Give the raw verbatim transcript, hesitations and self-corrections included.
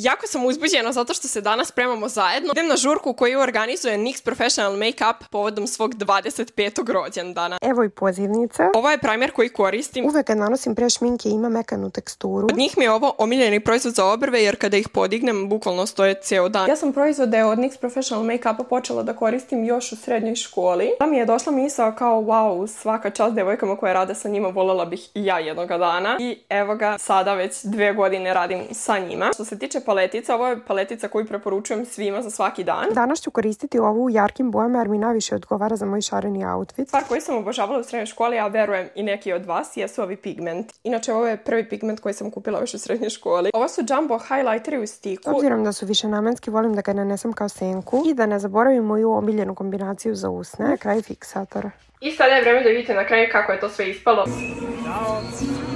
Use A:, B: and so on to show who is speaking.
A: Jako sam uzbuđena zato što se danas spremamo zajedno. Idem na žurku koju organizuje N Y X Professional Makeup povodom svog dvadeset petog rođendana.
B: Evo i pozivnica.
A: Ovo je primer koji koristim.
B: Uvek kad nanosim pre šminke ima mekanu teksturu.
A: Od njih mi je ovo omiljeni proizvod za obrve jer kada ih podignem bukvalno stoje ceo dan. Ja sam proizvode od N Y X Professional Makeupa počela da koristim još u srednjoj školi. Da mi je došla misao kao wow, svaka čast devojkama koje rade sa njima, voljela bih i ja jednoga dana. I evo ga, sada već dve godine radim sa njima. Što se tiče paletica, ovo je paletica koju preporučujem svima za svaki dan.
B: Danas ću koristiti ovu u jarkim bojama jer mi najviše odgovara za moj šareni outfit.
A: Stvar koju sam obožavala u srednjoj školi, a verujem i neki od vas, jesu ovi pigment. Inače, ovo je prvi pigment koji sam kupila još u srednjoj školi. Ovo su jumbo highlighteri u stiku.
B: Obzirom da su višenamenski, volim da ga nanesem kao senku i da ne zaboravim moju omiljenu kombinaciju za usne, kraj fiksatora.
A: I sada je vreme da vidite na kraju kako je to sve ispalo. Ćao!